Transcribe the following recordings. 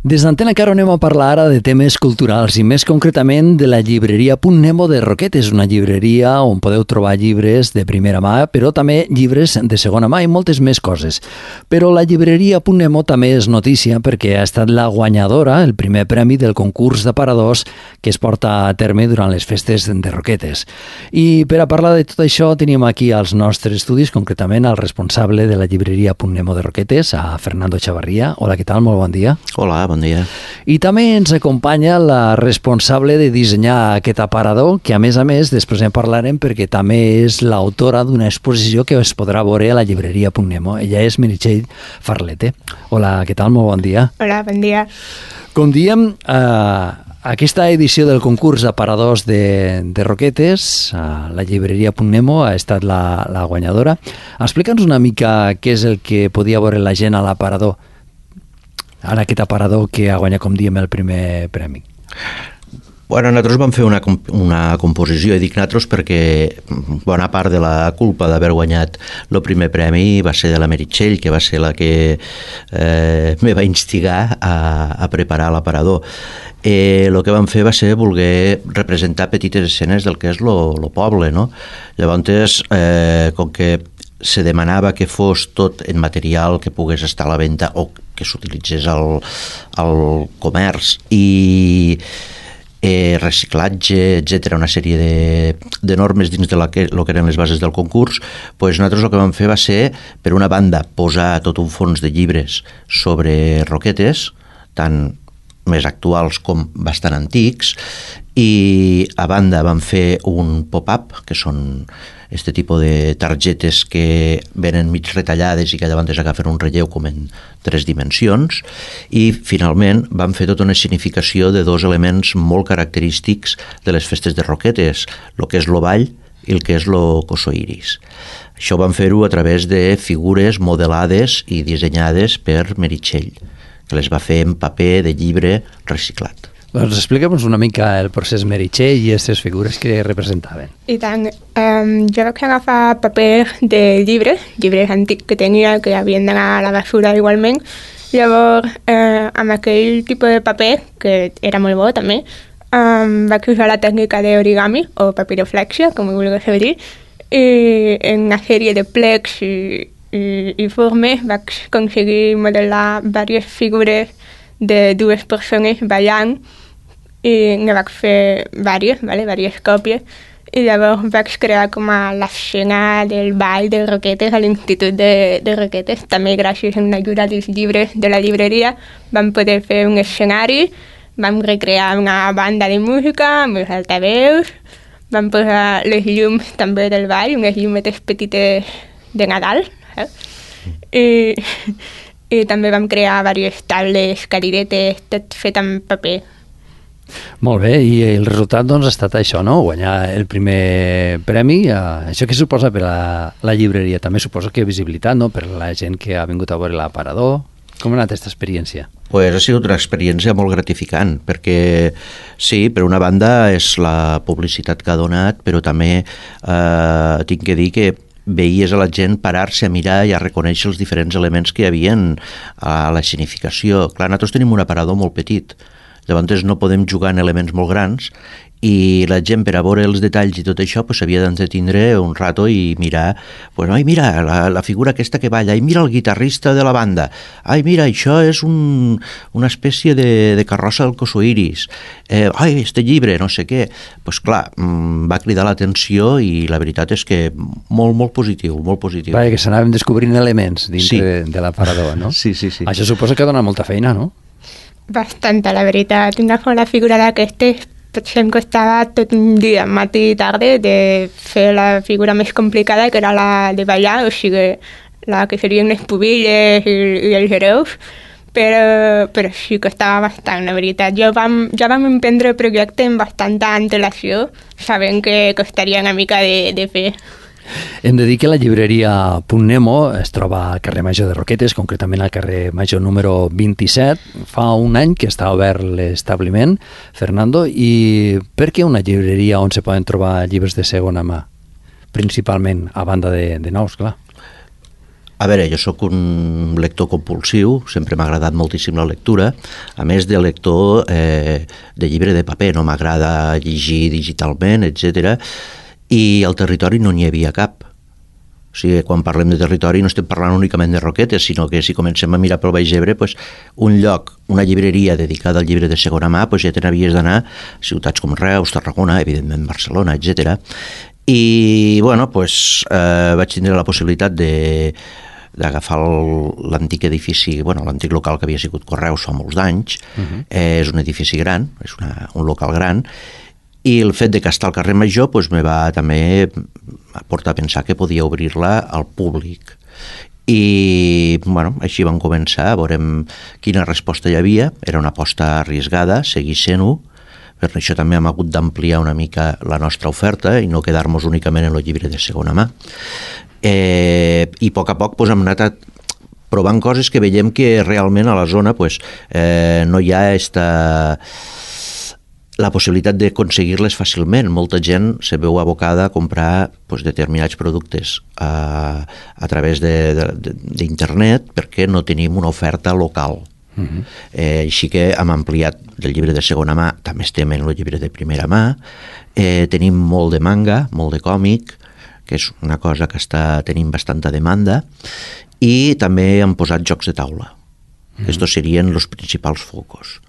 Des d'Antena Caro anem a parlar ara de temes culturals i més concretament de la llibreria Punt Nemo de Roquetes, una llibreria on podeu trobar llibres de primera mà, però també llibres de segona mà i moltes més coses. Però la llibreria Punt Nemo també és notícia perquè ha estat la guanyadora, el primer premi del concurs d'aparadors que es porta a terme durant les festes de Roquetes. I per a parlar de tot això tenim aquí als nostres estudis, concretament al responsable de la llibreria Punt Nemo de Roquetes, a Fernando Chavarría. Hola, què tal? Molt bon dia. Hola, bon dia. I també ens acompanya la responsable de dissenyar aquest aparador, que a més, després en parlarem perquè també és l'autora d'una exposició que es podrà veure a la llibreria Punt Nemo. Ella és Meritxell Farlete. Hola, què tal? Molt bon dia. Hola, bon dia. Com diem, aquesta edició del concurs d'aparadors de Roquetes, la llibreria Punt Nemo ha estat la guanyadora. Explica'ns una mica què és el que podia veure la gent a l'aparador, en aquest aparador que ha guanyat, com diem, el primer premi. Bueno, nosaltres vam fer una composició, i dic nosaltres perquè bona part de la culpa d'haver guanyat el primer premi va ser de la Meritxell, que va ser la que me va instigar a preparar l'aparador. El que vam fer va ser voler representar petites escenes del que és el poble, no? Llavors, com que se demanava que fos tot en material que pogués estar a la venda o que s'utilitzés al comerç i reciclatge, etc., una sèrie de normes dins de lo que eren les bases del concurs, doncs nosaltres el que vam fer va ser, per una banda, posar tot un fons de llibres sobre Roquetes, tant més actuals com bastant antics, i a banda vam fer un pop-up, que són este tipus de targetes que venen mig retallades i que llavors agafen un relleu com en 3 dimensions, i finalment vam fer tota una escenificació de 2 elements molt característics de les festes de Roquetes, el que és el ball i el que és el cosoiris. Això vam fer-ho a través de figures modelades i dissenyades per Meritxell, que les va fer en paper de llibre reciclat. Doncs explica'ns una mica el procés Meritxell i aquestes figures que representaven. I tant, jo vaig agafar paper de llibres antics que tenia, que havien d'anar a la basura igualment. Llavors, amb aquell tipus de paper, que era molt bo també, vaig usar la tècnica d'origami o papiroflexia, com ho vulguis dir, i en una sèrie de plecs i formes vaig aconseguir modelar diverses figures de 2 persones ballant, i ne vaig fer diverses còpies, i llavors vaig crear com a l'escena del ball de Roquetes a l'Institut de Roquetes. També gràcies a una ajuda dels llibres de la llibreria vam poder fer un escenari, vam recrear una banda de música amb els altaveus, vam posar les llums també del ball, unes llumetes petites de Nadal, i també vam crear diverses taules, cadiretes, tot fet amb paper. Molt bé, i el resultat doncs ha estat això, no? Guanyar el primer premi. Això què suposa per a la llibreria? També suposa que visibilitat, no?, per la gent que ha vingut a veure l'aparador. Com ha anat aquesta experiència? Pues ha sigut una experiència molt gratificant, perquè sí, per una banda és la publicitat que ha donat, però també tinc que dir que veies a la gent parar-se a mirar i a reconèixer els diferents elements que hi havia a l'escenificació. Clar, nosaltres tenim un aparador molt petit, llavors no podem jugar en elements molt grans, i la gent, per a veure els detalls i tot això, s'havia d'entretindre un rato i mirar, ai, mira, la figura aquesta que balla, ai, mira el guitarrista de la banda, ai, mira, això és una espècie de carrossa del cosoiris, ai, este llibre, no sé què. Doncs clar, va cridar l'atenció i la veritat és que molt positiu, molt positiu. Vaja, que s'anaven descobrint elements dintre de l'aparador, no? Sí. Això suposa que dona molta feina, no? Bastanta, la veritat. Una sola figura d'aquestes potser em costava tot un dia, matí i tarda, de fer la figura més complicada, que era la de ballar, o sigui, la que serien les pubilles i els hereus, però sí que estava bastant, la veritat. Ja vam emprendre el projecte amb bastanta antelació, sabent que costaria una mica de fer. Hem de dir que la llibreria Punt Nemo es troba al carrer Major de Roquetes, concretament al carrer Major número 27. Fa un any que està obert l'establiment, Fernando, i per què una llibreria on se poden trobar llibres de segona mà? Principalment, a banda de nous, clar. A veure, jo sóc un lector compulsiu, sempre m'ha agradat moltíssim la lectura, a més de lector de llibre de paper, no m'agrada llegir digitalment, etc. I al territori no n'hi havia cap. O sigui, quan parlem de territori no estem parlant únicament de Roquetes, sinó que si comencem a mirar pel Baix Ebre, pues, un lloc, una llibreria dedicada al llibre de segona mà, pues, ja te n'havies d'anar a ciutats com Reus, Tarragona, evidentment Barcelona, etc. I bueno, pues, vaig tindre la possibilitat d'agafar l'antic edifici, bueno, l'antic local que havia sigut Correus fa molts d'anys. És un edifici gran, és un local gran, i el fet de que està al carrer Major pues, me va també portar a pensar que podia obrir-la al públic. I bueno, així vam començar, veurem quina resposta hi havia. Era una aposta arriesgada, seguir sent-ho. Per això també hem hagut d'ampliar una mica la nostra oferta i no quedar-nos únicament en el llibre de segona mà. I a poc pues, hem anat provant coses que veiem que realment a la zona pues, no hi ha la possibilitat d'aconseguir-les fàcilment. Molta gent se veu abocada a comprar pues, determinats productes a través d'internet perquè no tenim una oferta local. Així que hem ampliat el llibre de segona mà, també estem en el llibre de primera mà, tenim molt de manga, molt de còmic, que és una cosa que està tenint bastanta demanda, i també hem posat jocs de taula. Estos serien els principals focus.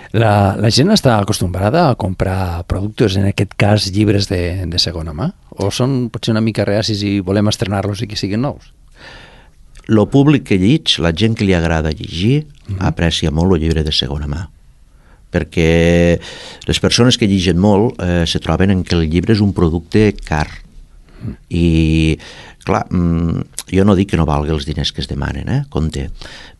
La gent està acostumbrada a comprar productes, en aquest cas llibres de segona mà? O són potser una mica reacis i volem estrenar-los i que siguin nous? El públic que llig, la gent que li agrada llegir, aprecia molt el llibre de segona mà. Perquè les persones que lligen molt se troben en que el llibre és un producte car. I clar, jo no dic que no valgui els diners que es demanen, compte,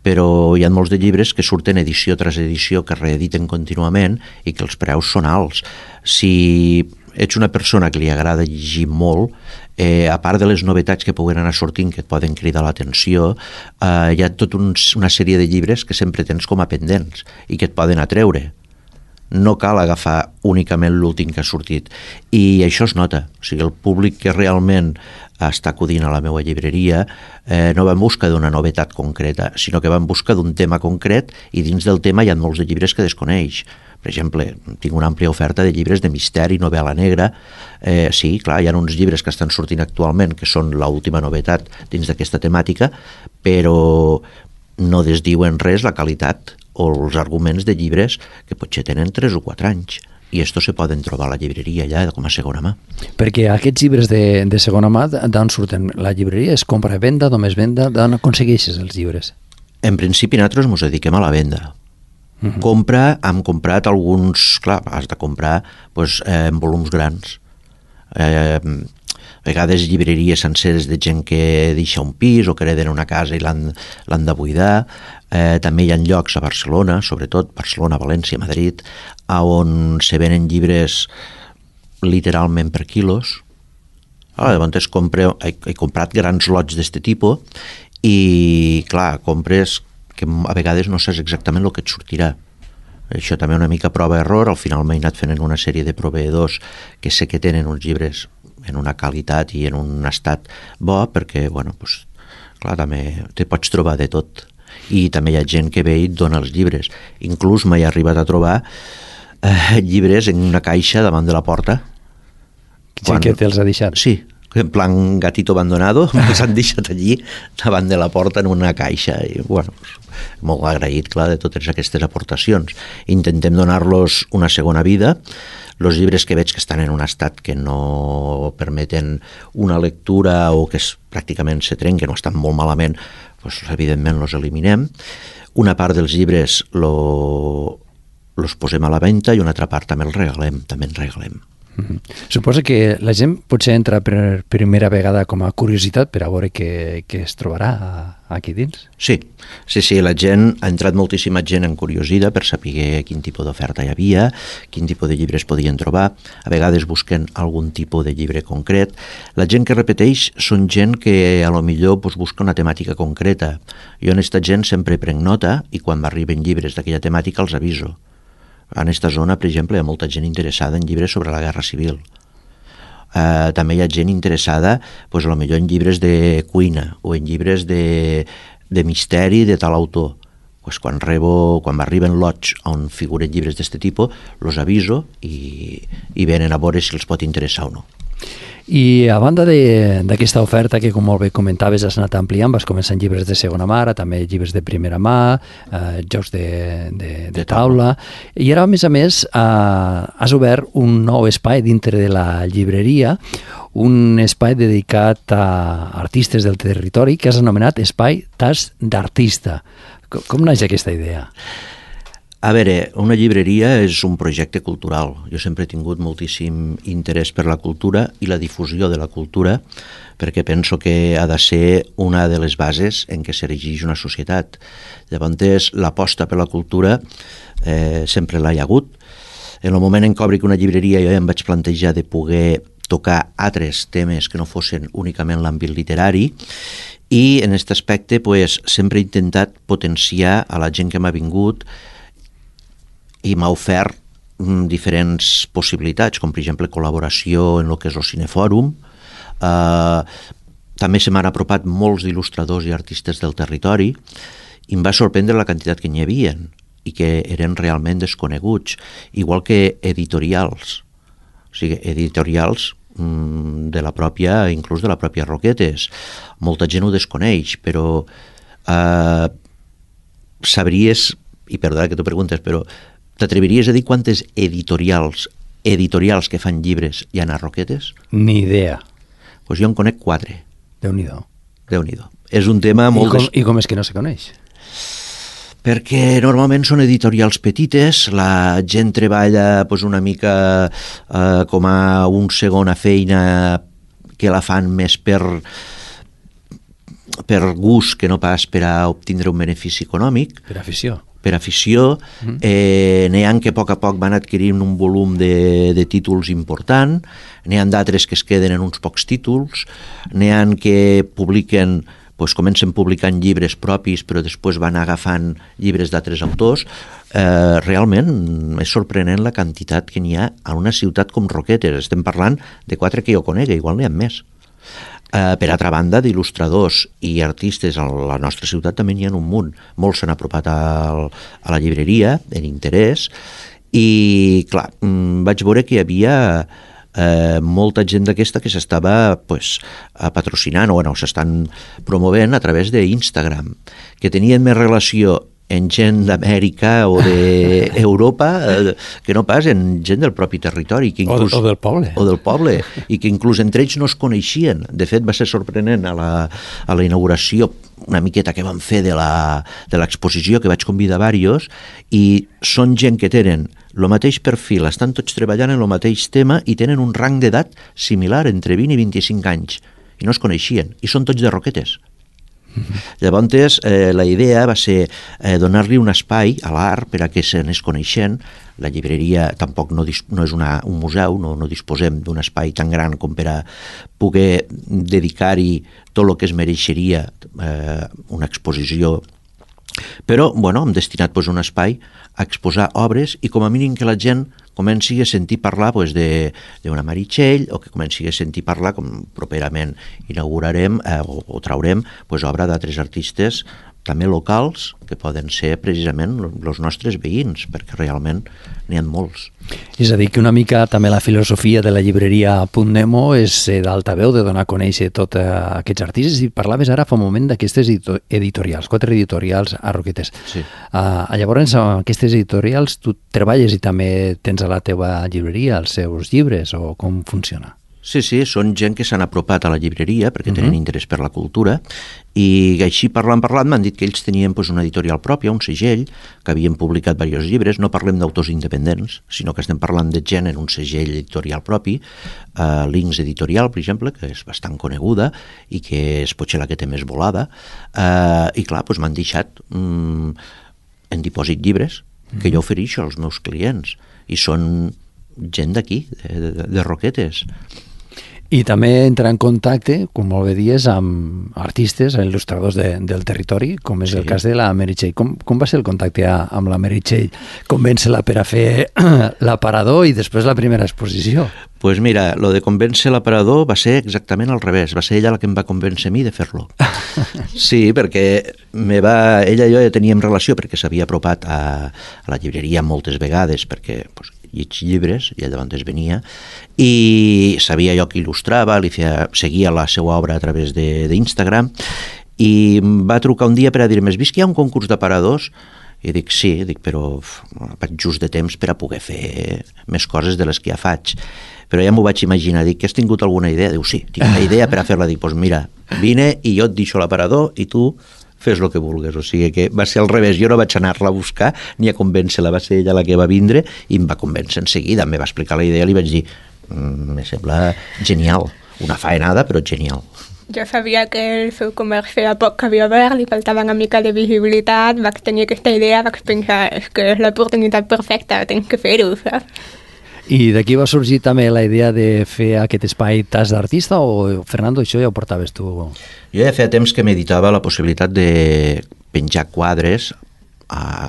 però hi ha molts de llibres que surten edició tras edició, que reediten contínuament i que els preus són alts. Si ets una persona que li agrada llegir molt, a part de les novetats que puguen anar sortint que et poden cridar l'atenció, hi ha tota una sèrie de llibres que sempre tens com a pendents i que et poden atreure. No cal agafar únicament l'últim que ha sortit. I això es nota. O sigui, el públic que realment està acudint a la meva llibreria no va en busca d'una novetat concreta, sinó que va en busca d'un tema concret, i dins del tema hi ha molts de llibres que desconeix. Per exemple, tinc una àmplia oferta de llibres de misteri, novel·la negra. Sí, clar, hi ha uns llibres que estan sortint actualment que són l'última novetat dins d'aquesta temàtica, però no desdiuen res la qualitat o els arguments de llibres que potser tenen 3 o 4 anys. I esto se poden trobar a la llibreria ja com a segona mà. Perquè aquests llibres de segona mà, d'on surten? La llibreria és compra-venda, només venda? D'on aconsegueixes els llibres? En principi nosaltres ens dediquem a la venda. Compra, hem comprat alguns, clar, has de comprar pues, en volums grans. A vegades llibreries senceres de gent que deixa un pis o que hereden una casa i l'han de buidar. També hi ha llocs a Barcelona, sobretot Barcelona, València, Madrid, on se venen llibres literalment per quilos. Llavors he comprat grans lots d'aquest tipus i, clar, compres que a vegades no saps exactament el que et sortirà. Això també una mica prova-error. Al final m'he anat fent una sèrie de proveïdors que sé que tenen uns llibres en una qualitat i en un estat bo, perquè, bueno, pues, clar, també te pots trobar de tot. I també hi ha gent que ve i et dona els llibres. Inclús m'he arribat a trobar llibres en una caixa davant de la porta. Sí, que te'ls ha deixat. Sí, en plan gatito abandonado, els han deixat allí davant de la porta en una caixa. I, bueno, molt agraït, clar, de totes aquestes aportacions. Intentem donar-los una segona vida. Els llibres que veig que estan en un estat que no permeten una lectura o que pràcticament se trenquen o estan molt malament, doncs, evidentment els eliminem. Una part dels llibres els posem a la venda i una altra part també els regalem. Suposa que la gent potser entra per primera vegada com a curiositat per a veure què es trobarà aquí dins. Sí, la gent, ha entrat moltíssima gent en curiosida per saber quin tipus d'oferta hi havia, quin tipus de llibres podien trobar. A vegades busquen algun tipus de llibre concret. La gent que repeteix són gent que a lo millor busca una temàtica concreta. Jo en aquesta gent sempre prenc nota i quan m'arriben llibres d'aquella temàtica els aviso. En aquesta zona, per exemple, hi ha molta gent interessada en llibres sobre la Guerra Civil. També hi ha gent interessada, doncs, potser en llibres de cuina o en llibres de misteri de tal autor. Pues quan m'arriben lots on figuren llibres d'aquest tipus, los aviso i venen a veure si els pot interessar o no. I a banda d'aquesta oferta que, com molt bé comentaves, has anat ampliant, vas començar en llibres de segona mà, també llibres de primera mà, jocs de taula, i ara, a més, has obert un nou espai dintre de la llibreria, un espai dedicat a artistes del territori que has anomenat Espai Tas d'Artista. Com naix aquesta idea? A veure, una llibreria és un projecte cultural. Jo sempre he tingut moltíssim interès per la cultura i la difusió de la cultura, perquè penso que ha de ser una de les bases en què s'erigeix una societat. Llavors, l'aposta per la cultura sempre l'ha hi hagut. En el moment en què obri una llibreria jo ja em vaig plantejar de poder tocar altres temes que no fossin únicament l'àmbit literari, i en aquest aspecte sempre he intentat potenciar a la gent que m'ha vingut i m'ha ofert diferents possibilitats, com per exemple col·laboració en el que és el Cinefòrum. També se m'han apropat molts il·lustradors i artistes del territori i em va sorprendre la quantitat que n'hi havia i que eren realment desconeguts, igual que editorials. O sigui, editorials de la pròpia, inclús de la pròpia Roquetes. Molta gent ho desconeix, però sabries, i perdona que t'ho preguntes, però t'atreviries a dir quantes editorials que fan llibres hi ha a Roquetes? Ni idea. Doncs jo en conec 4. Déu-n'hi-do. Déu-n'hi-do. És un tema molt... I com és que no se coneix? Perquè normalment són editorials petites, la gent treballa una mica com a una segona feina que la fan més per gust que no pas per a obtindre un benefici econòmic. Per afició. Per afició. N'hi ha que a poc van adquirint un volum de títols important, n'hi ha d'altres que es queden en uns pocs títols, n'hi ha que publiquen, comencen publicant llibres propis però després van agafant llibres d'altres autors. Realment és sorprenent la quantitat que n'hi ha a una ciutat com Roquetes. Estem parlant de 4 que jo conec, igual n'hi ha més. Per altra banda, d'il·lustradors i artistes a la nostra ciutat també n'hi ha un munt. Molts s'han apropat a la llibreria en interès i, clar, vaig veure que hi havia molta gent d'aquesta que s'estava patrocinant o s'estan promovent a través d'Instagram, que tenien més relació en gent d'Amèrica o d'Europa que no pas en gent del propi territori. O del poble. O del poble, i que inclús entre ells no es coneixien. De fet, va ser sorprenent a la inauguració una miqueta que vam fer de l'exposició, que vaig convidar diversos, i són gent que tenen el mateix perfil, estan tots treballant en el mateix tema i tenen un rang d'edat similar, entre 20 i 25 anys, i no es coneixien, i són tots de Roquetes. Llavors, la idea va ser donar-li un espai a l'art per a que s'anés coneixent. La llibreria tampoc no és un museu, no disposem d'un espai tan gran com per a poder dedicar-hi tot el que es mereixeria una exposició. Però, hem destinat un espai a exposar obres i com a mínim que la gent comenci a sentir parlar d'una Meritxell, o que comenci a sentir parlar, com properament inaugurarem o traurem obra d'altres artistes també locals, que poden ser precisament els nostres veïns, perquè realment n'hi ha molts. És a dir, que una mica també la filosofia de la llibreria Punt Nemo és d'altaveu, de donar a conèixer tots aquests artistes, i parlaves ara fa un moment d'aquestes editorials, 4 editorials a Roquetes. Sí. Llavors, aquestes editorials, tu treballes i també tens a la teva llibreria els seus llibres, o com funciona? Sí, són gent que s'han apropat a la llibreria perquè tenen interès per la cultura, i així parlant m'han dit que ells tenien una editorial pròpia, un segell, que havien publicat diversos llibres. No parlem d'autors independents, sinó que estem parlant de gent en un segell editorial propi, Links Editorial, per exemple, que és bastant coneguda i que és potser la que té més volada, i clar, m'han deixat en dipòsit llibres que jo ofereixo als meus clients, i són gent d'aquí, de Roquetes. I també entrar en contacte, com molt bé dies, amb artistes, il·lustradors del territori, com és el cas de la Meritxell. Com va ser el contacte amb la Meritxell? Convèncer-la per a fer l'aparador i després la primera exposició? Pues mira, lo de convèncer l'aparador va ser exactament al revés. Va ser ella la que em va convèncer a mi de fer-lo. Sí, perquè ella i jo ja teníem relació perquè s'havia apropat a la llibreria moltes vegades perquè pues, lleig llibres, i ella es venia, i sabia jo que il·lustrava, seguia la seva obra a través d'Instagram, i em va trucar un dia per a dir-me: has vist que hi ha un concurs d'aparadors? I dic, sí, però vaig just de temps per a poder fer més coses de les que ja faig. Però ja m'ho vaig imaginar, dic, has tingut alguna idea? Diu, sí, tinc una idea per a fer-la. Dic, doncs mira, vine i jo et deixo l'aparador i tu fes el que vulgues. O sigui que va ser al revés, jo no vaig anar-la a buscar ni a convèncer-la, va ser ella la que va vindre i em va convèncer en seguida, em va explicar la idea i li vaig dir, me sembla genial, una faenada però genial. Jo sabia que el seu comerç feia poc que havia obert, li faltava una mica de visibilitat, vaig tenir aquesta idea, vaig pensar, és que és l'oportunitat perfecta, tens que fer-ho, saps? I d'aquí va sorgir també la idea de fer aquest espai tas d'artista o, Fernando, això ja ho portaves tu? Jo ja feia temps que meditava la possibilitat de penjar quadres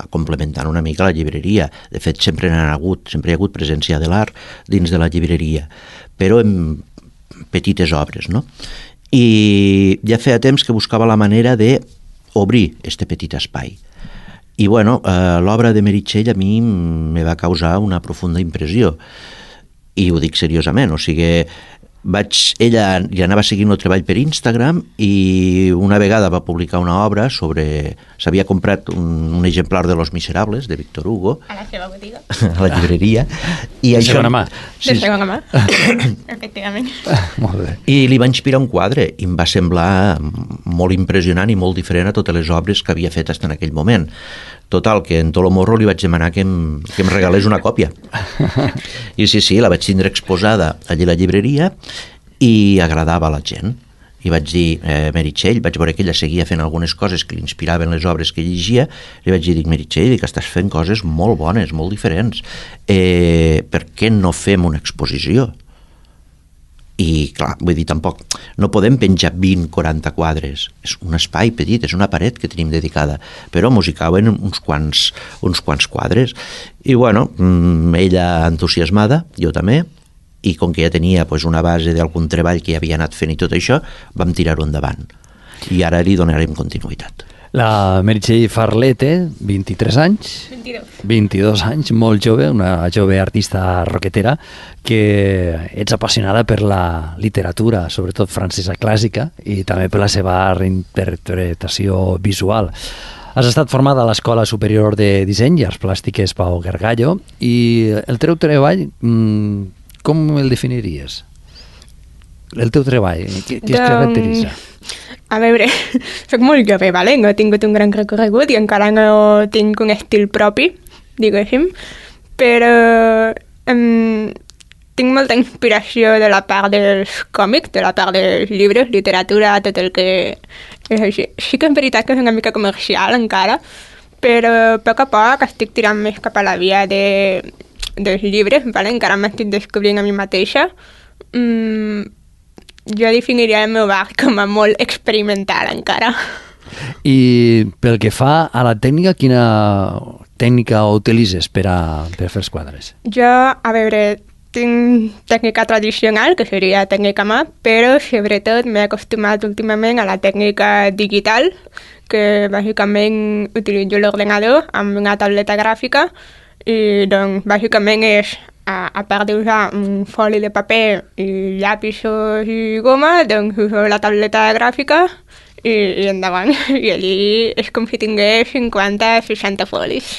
complementant una mica la llibreria. De fet, sempre hi ha hagut presència de l'art dins de la llibreria, però en petites obres, no? I ja feia temps que buscava la manera d'obrir este petit espai. I bueno, l'obra de Meritxell a mi me va causar una profunda impressió, i ho dic seriosament, o sigui, ella ja anava seguint el treball per Instagram i una vegada va publicar una obra sobre... S'havia comprat un exemplar de Los Miserables, de Víctor Hugo. A la seva botiga. A la llibreria. I de segona mà. De segona mà, efectivament. Molt bé. I li va inspirar un quadre i em va semblar molt impressionant i molt diferent a totes les obres que havia fet fins en aquell moment. Total, que en Tolomorro li vaig demanar que em regalés una còpia. I sí, la vaig tindre exposada allí a la llibreria i agradava a la gent. I vaig dir, Meritxell, vaig veure que ella seguia fent algunes coses que li inspiraven les obres que llegia, li vaig dir, Meritxell, que estàs fent coses molt bones, molt diferents. Per què no fem una exposició? I clar, vull dir, tampoc no podem penjar 20-40 quadres, és un espai petit, és una paret que tenim dedicada, però mos hi cauen uns quants quadres. I bueno, ella entusiasmada, jo també, i com que ja tenia una base d'algun treball que ja havia anat fent i tot això, vam tirar-ho endavant. I ara li donarem continuïtat. La Meritxell Farlete, 23 anys. 22 anys, molt jove, una jove artista roquetera, que ets apassionada per la literatura, sobretot francesa clàssica, i també per la seva reinterpretació visual. Has estat formada a l'Escola Superior de Disseny i Arts Plàstiques Pau Gargallo, i el teu treball, com el definiries? El teu treball, què es caracteritza? A veure, soc molt jove, vale? No he tingut un gran recorregut i encara no tinc un estil propi, diguéssim, però tinc molta inspiració de la part dels còmics, de la part dels llibres, literatura, tot el que és així. Sí que és veritat que és una mica comercial encara, però a poc estic tirant més cap a la via dels llibres, vale? Encara m'estic descobrint a mi mateixa. Jo definiria el meu art com a molt experimental encara. I pel que fa a la tècnica, quina tècnica utilitzes per fer els quadres? Jo, a veure, tinc tècnica tradicional, que seria tècnica mà, però sobretot m'he acostumat últimament a la tècnica digital, que bàsicament utilitzo l'ordenador amb una tauleta gràfica i doncs bàsicament és a part d'usar un foli de paper i llapisos i goma, doncs uso la tauleta gràfica i endavant. I allí és com si tingués 50-60 folis.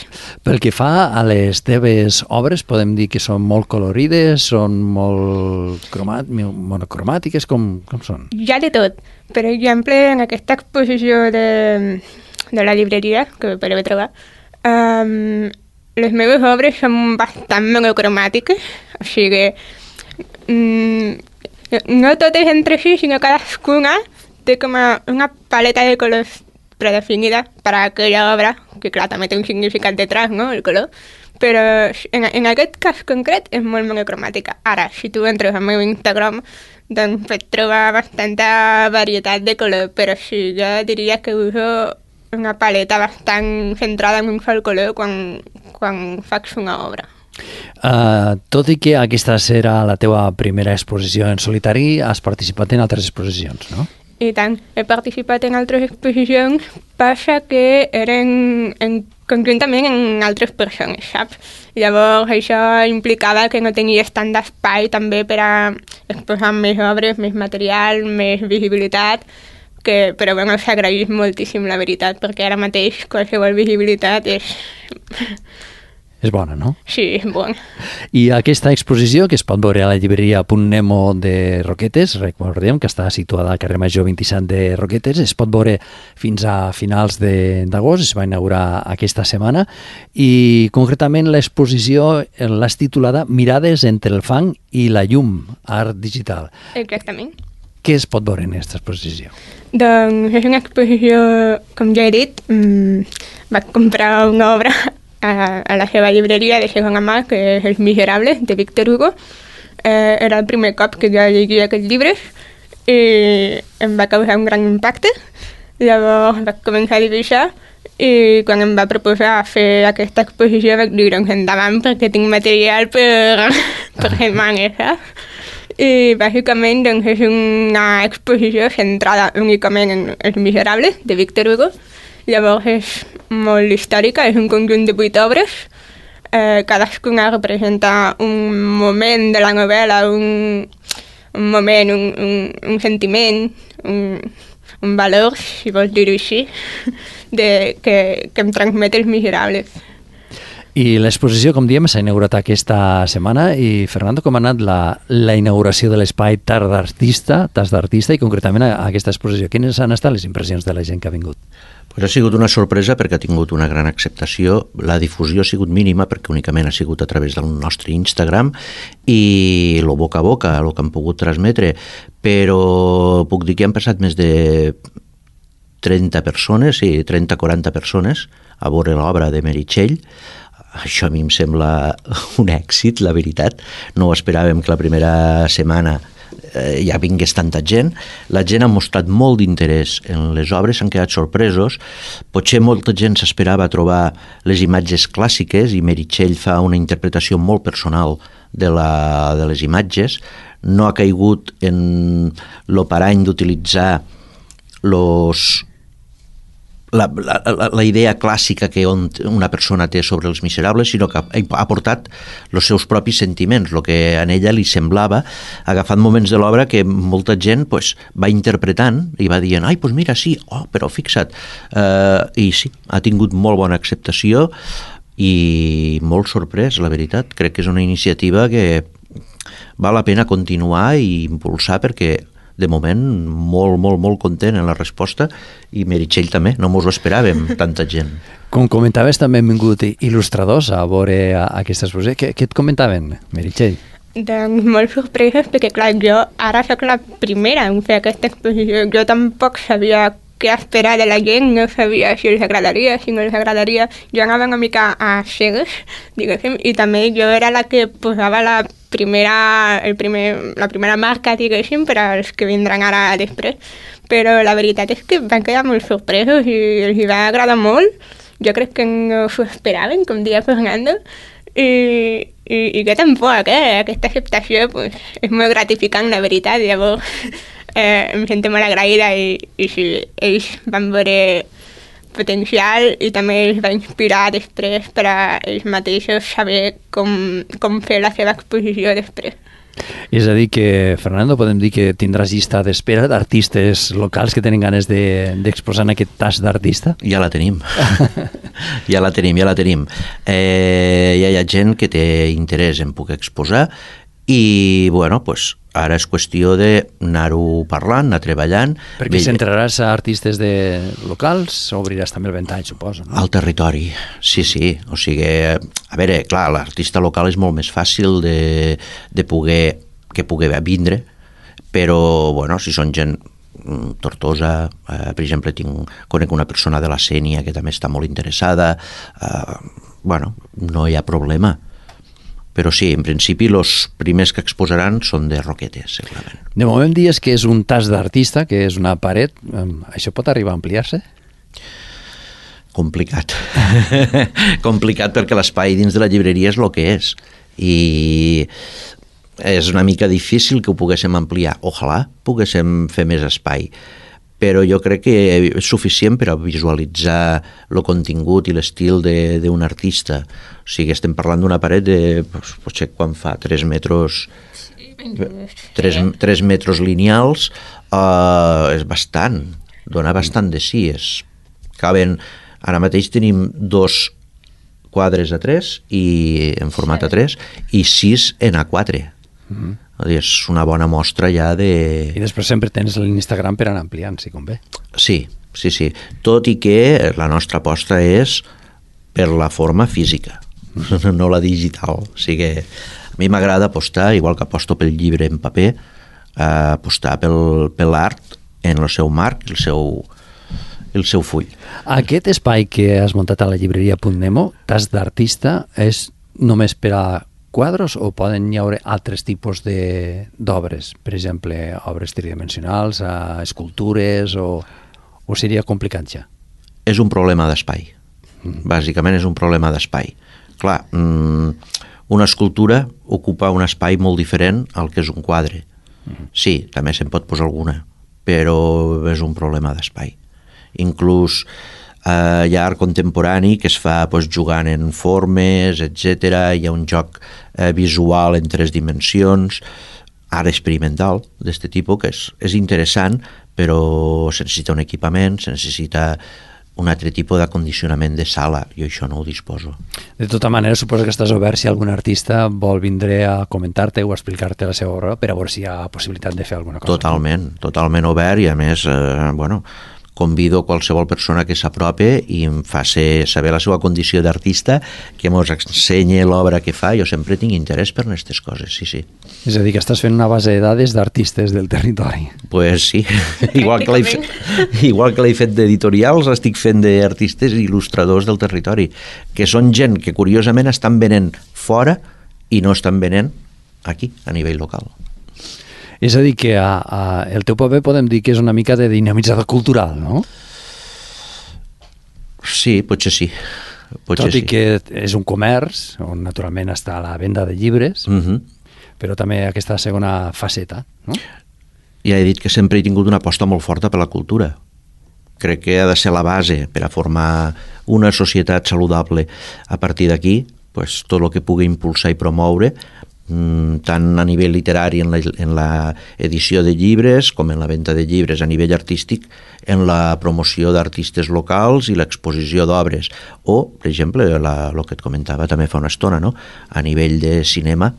Pel que fa a les teves obres, podem dir que són molt colorides, són molt monocromàtiques, com són? Hi ha de tot. Per exemple, en aquesta exposició de la llibreria, que podeu trobar, les meves obres són bastant monocromàtiques, o sigui, no totes entre si, sinó cadascuna té com una paleta de colors predefinida per a aquella obra, que clar, també té un significat detrás, no?, el color, però en aquest cas concret és molt monocromàtica. Ara, si tu entres al meu Instagram, doncs pots trobar bastanta varietat de color, però sí, jo diria que uso una paleta bastant centrada en un sol color quan faig una obra. Tot i que aquesta serà la teva primera exposició en solitari, has participat en altres exposicions, no? I tant, he participat en altres exposicions, passa que eren conjuntament amb altres persones, saps? Llavors això implicava que no tenies tant d'espai també per a exposar més obres, més material, més visibilitat, però bueno, s'agraeix moltíssim la veritat, perquè ara mateix qualsevol visibilitat és... És bona, no? Sí, és bona. I aquesta exposició, que es pot veure a la llibreria Punt Nemo de Roquetes, recordem que està situada al carrer Major 27 de Roquetes, es pot veure fins a finals d'agost, es va inaugurar aquesta setmana, i concretament l'exposició l'has titulada Mirades entre el fang i la llum, art digital. Exactament. Què es pot veure en aquesta exposició? Doncs és una exposició, com ja he dit, vaig comprar una obra a la seva llibreria de segona mà, que és Els Miserables, de Víctor Hugo. Era el primer cop que jo llegia aquests llibres i em va causar un gran impacte. Llavors vaig començar a dibuixar i quan em va proposar fer aquesta exposició vaig dir, doncs endavant, perquè tinc material per setmanes, saps? I bàsicament doncs, és una exposició centrada únicament en Els Miserables, de Víctor Hugo. Llavors és molt històrica, és un conjunt de 8 obres. Cadascuna representa un moment de la novel·la, un moment, un sentiment, un valor, si vols dir-ho així, que em transmet Els Miserables. I l'exposició, com diem, s'ha inaugurat aquesta setmana i, Fernando, com ha anat la inauguració de l'espai Tas d'Artista i concretament aquesta exposició? Quines han estat les impressions de la gent que ha vingut? Pues ha sigut una sorpresa perquè ha tingut una gran acceptació. La difusió ha sigut mínima perquè únicament ha sigut a través del nostre Instagram i el boca a boca, el que han pogut transmetre, però puc dir que han passat més de 30 persones, sí, 30-40 persones a veure l'obra de Meritxell. Això a mi em sembla un èxit, la veritat. No ho esperàvem que la primera setmana ja vingués tanta gent. La gent ha mostrat molt d'interès en les obres, s'han quedat sorpresos. Potser molta gent s'esperava trobar les imatges clàssiques i Meritxell fa una interpretació molt personal de les imatges. No ha caigut en l'operany d'utilitzar la idea clàssica que una persona té sobre Els Miserables, sinó que ha portat els seus propis sentiments, el que a ella li semblava, agafant moments de l'obra que molta gent va interpretant i va dient, ai, doncs mira, sí, però fixa't. I sí, ha tingut molt bona acceptació i molt sorprès, la veritat. Crec que és una iniciativa que val la pena continuar i impulsar perquè de moment, molt, molt, molt content en la resposta i Meritxell també, no mos ho esperàvem, tanta gent. Com comentaves, també han vingut il·lustradors a veure aquesta exposició. Què et comentaven, Meritxell? Doncs molt sorpreses, perquè clar, jo ara soc la primera en fer aquesta exposició. Jo tampoc sabia què esperar de la gent, no sabia si els agradaria, si no els agradaria. Jo anava una mica a cegues, diguéssim, i també jo era la que posava la primera marca, diguéssim, per als que vindran ara després. Però la veritat és que van quedar molt sorpresos i els va agradar molt. Jo crec que no s'ho esperaven, com deia Fernando, i que tampoc, aquesta acceptació és molt gratificant, la veritat. Llavors em sento molt agraïda i sí, ells van veure potencial i també els va inspirar després per a ells mateixos saber com fer la seva exposició després. És a dir que, Fernando, podem dir que tindràs llista d'espera d'artistes locals que tenen ganes d'exposar en aquest tas d'artista? Ja la tenim. Ja la tenim. Ja hi ha gent que té interès en poder exposar i, bueno, doncs ara és qüestió d'anar-ho parlant, anar treballant. Perquè centraràs a artistes locals o obriràs també el ventall, suposo, no? Al territori, sí. O sigui, a veure, clar, l'artista local és molt més fàcil de poder vindre, però, bueno, si són gent Tortosa, per exemple, conec una persona de la Sénia que també està molt interessada, bueno, no hi ha problema. Però sí, en principi, els primers que exposaran són de Roquetes, segurament. De moment dius que és un tas d'artista, que és una paret. Això pot arribar a ampliar-se? Complicat. Complicat perquè l'espai dins de la llibreria és el que és. i és una mica difícil que ho poguéssim ampliar. Ojalà poguéssim fer més espai, però jo crec que és suficient per a visualitzar el contingut i l'estil d'un artista. O sigui, estem parlant d'una paret de, potser quan fa 3 metres, 3 metres lineals, és bastant, dona bastant de sí. Ara mateix tenim 2 quadres A3 en format A3 i 6 en A4. És una bona mostra ja de... I després sempre tens l'Instagram per anar ampliant, si convé. Sí. Tot i que la nostra aposta és per la forma física, no la digital. O sigui, a mi m'agrada apostar, igual que aposto pel llibre en paper, apostar per l'art en el seu marc, el seu full. Aquest espai que has muntat a la llibreria Punt Nemo, tas d'artista, és només per a quadros o poden hi haver altres tipus d'obres? Per exemple, obres tridimensionals, escultures, o seria complicat ja? És un problema d'espai. Bàsicament és un problema d'espai. Clar, una escultura ocupa un espai molt diferent al que és un quadre. Sí, també se'n pot posar alguna, però és un problema d'espai. Inclús hi ha art contemporani que es fa jugant en formes, etc. Hi ha un joc visual en 3 dimensions, art experimental d'aquest tipus, que és interessant, però se necessita un equipament, se necessita un altre tipus d'acondicionament de sala, jo això no ho disposo. De tota manera, suposo que estàs obert si algun artista vol vindre a comentar-te o a explicar-te la seva obra per a veure si hi ha possibilitat de fer alguna cosa. Totalment obert, i a més, convido qualsevol persona que s'aprope i em faci saber la seva condició d'artista, que mos ensenyi l'obra que fa. Jo sempre tinc interès per aquestes coses, sí. És a dir, que estàs fent una base de dades d'artistes del territori. Pues sí, igual que l'he fet d'editorials, estic fent d'artistes i il·lustradors del territori, que són gent que curiosament estan venent fora i no estan venent aquí, a nivell local. És a dir, que el teu paper podem dir que és una mica de dinamitzador cultural, no? Sí, potser sí. Tot i que és un comerç, on naturalment està la venda de llibres, però també aquesta segona faceta, no? Ja he dit que sempre he tingut una aposta molt forta per la cultura. Crec que ha de ser la base per a formar una societat saludable. A partir d'aquí, tot el que pugui impulsar i promoure, tant a nivell literari en la edició de llibres com en la venda de llibres, a nivell artístic en la promoció d'artistes locals i l'exposició d'obres, o per exemple el que et comentava també fa una estona, no? A nivell de cinema,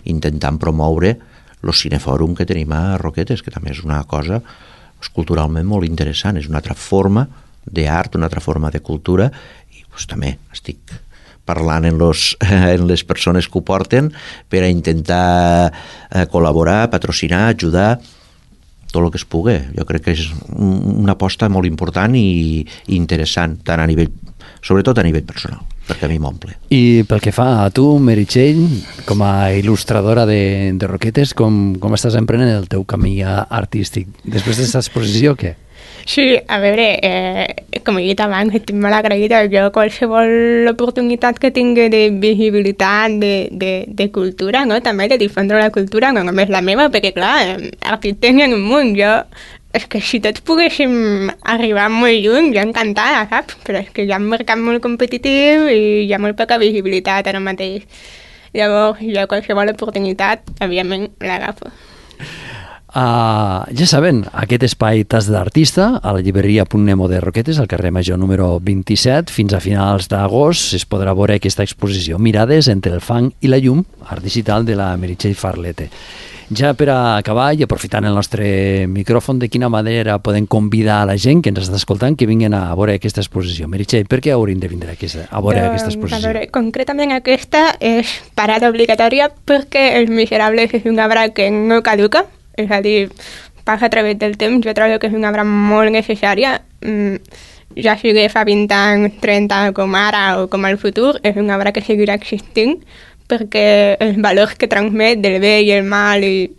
intentant promoure el cinefòrum que tenim a Roquetes, que també és una cosa culturalment molt interessant, és una altra forma d'art, una altra forma de cultura, i també estic parlant en les persones que ho porten per a intentar col·laborar, patrocinar, ajudar, tot el que es pugui. Jo crec que és una aposta molt important i interessant, sobretot a nivell personal, perquè a mi m'omple. I pel que fa a tu, Meritxell, com a il·lustradora de Roquetes, com estàs emprenent el teu camí artístic? Després d'aquesta exposició, què? Sí, a veure, com he dit abans, estic molt agraïda. Jo qualsevol oportunitat que tingui de visibilitat, de cultura, no? També de difondre la cultura, no només la meva, perquè clar, artistes n'hi ha un munt. És que si tots poguéssim arribar molt lluny, jo encantada, saps? Però és que hi ha un mercat molt competitiu i hi ha molt poca visibilitat ara mateix. Llavors, jo qualsevol oportunitat, evidentment, l'agafo. Ja saben, aquest espai Tas d'Artista a la llibreria Punt Nemo de Roquetes, al carrer Major número 27, fins a finals d'agost es podrà veure aquesta exposició Mirades entre el fang i la llum, art digital de la Meritxell Farlete. Ja per a acabar i aprofitant el nostre micròfon, de quina manera podem convidar a la gent que ens està escoltant que vinguin a veure aquesta exposició? Meritxell, per què haurien de vindre a veure aquesta exposició? A veure, concretament aquesta és parada obligatòria perquè Els Miserables és una obra que no caduca, és a dir, passa a través del temps. Jo trobo que és una obra molt necessària, ja sigui fa 20 anys, 30 com ara o com al futur, és una obra que seguirà existint perquè els valors que transmet del bé i el mal i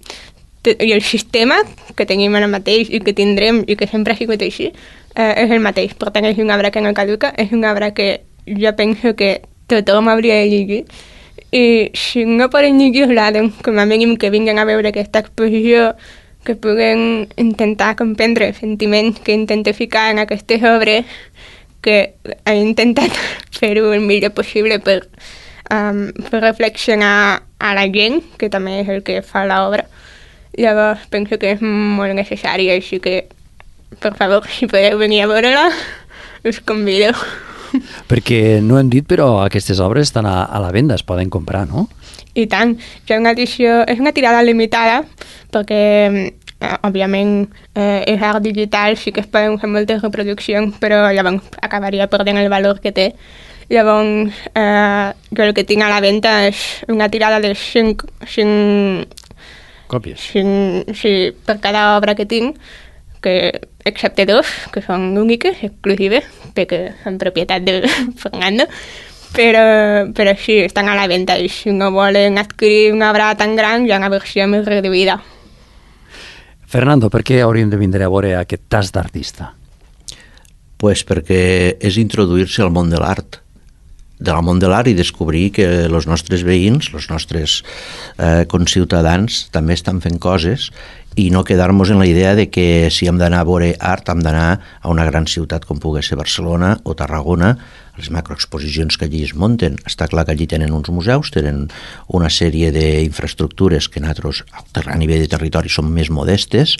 el sistema que tenim ara mateix i que tindrem i que sempre ha sigut així és el mateix. Per tant, és una obra que no caduca, és una obra que jo penso que tothom hauria de llegir. I si no poden llegir-la, doncs com a mínim que vinguin a veure aquesta exposició, que puguen intentar comprendre els sentiments que intenta ficar en aquestes obres, que he intentat fer-ho el millor possible per reflexionar a la gent, que també és el que fa l'obra. Llavors penso que és molt necessari, així que, per favor, si podeu venir a veure-la, us convido. Perquè no hem dit, però aquestes obres estan a la venda, es poden comprar, no? I tant, és una tirada limitada, perquè, òbviament, és art digital, sí que es poden fer moltes reproduccions, però llavors acabaria perdent el valor que té. Llavors, jo el que tinc a la venda és una tirada de 5 còpies. Sí, per cada obra que tinc, que excepte 2, que són úniques, exclusives, perquè són propietat de Fernando, però sí, estan a la venda i si no volen adquirir una obra tan gran, hi ha una versió més reduïda. Fernando, per què hauríem de vindre a veure aquest tas d'artista? Pues perquè és introduir-se al món de l'art, i descobrir que els nostres veïns, els nostres conciutadans també estan fent coses i no quedar-nos en la idea de que si hem d'anar a veure art hem d'anar a una gran ciutat com pugui ser Barcelona o Tarragona, les macroexposicions que allí es munten. Està clar que allí tenen uns museus, tenen una sèrie d'infraestructures que nosaltres a nivell de territori són més modestes,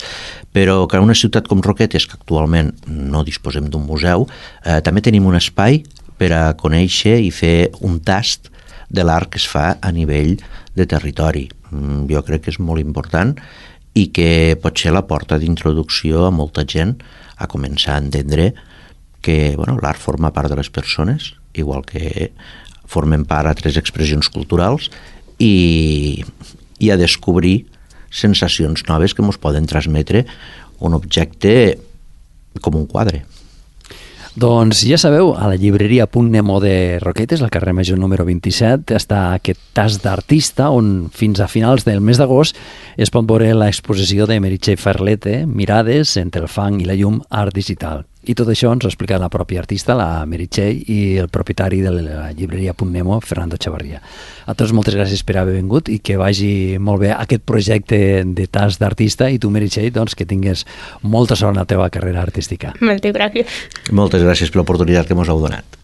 però que en una ciutat com Roquetes, que actualment no disposem d'un museu, també tenim un espai per a conèixer i fer un tast de l'art que es fa a nivell de territori. Jo crec que és molt important i que pot ser la porta d'introducció a molta gent a començar a entendre que l'art forma part de les persones, igual que formen part altres expressions culturals, i a descobrir sensacions noves que ens poden transmetre un objecte com un quadre. Doncs ja sabeu, a la llibreria Punt Nemo de Roquetes, al carrer Major número 27, està aquest tas d'artista on fins a finals del mes d'agost es pot veure l'exposició de Meritxell Ferlete, Mirades entre el fang i la llum, art digital. I tot això ens ho explica la pròpia artista, la Meritxell, i el propietari de la llibreria Punt Nemo, Fernando Chavarria. A tots moltes gràcies per haver vingut i que vagi molt bé aquest projecte de tas d'artista, i tu, Meritxell, doncs, que tingues molta sort en la teva carrera artística. Moltes gràcies. Moltes gràcies per l'oportunitat que ens heu donat.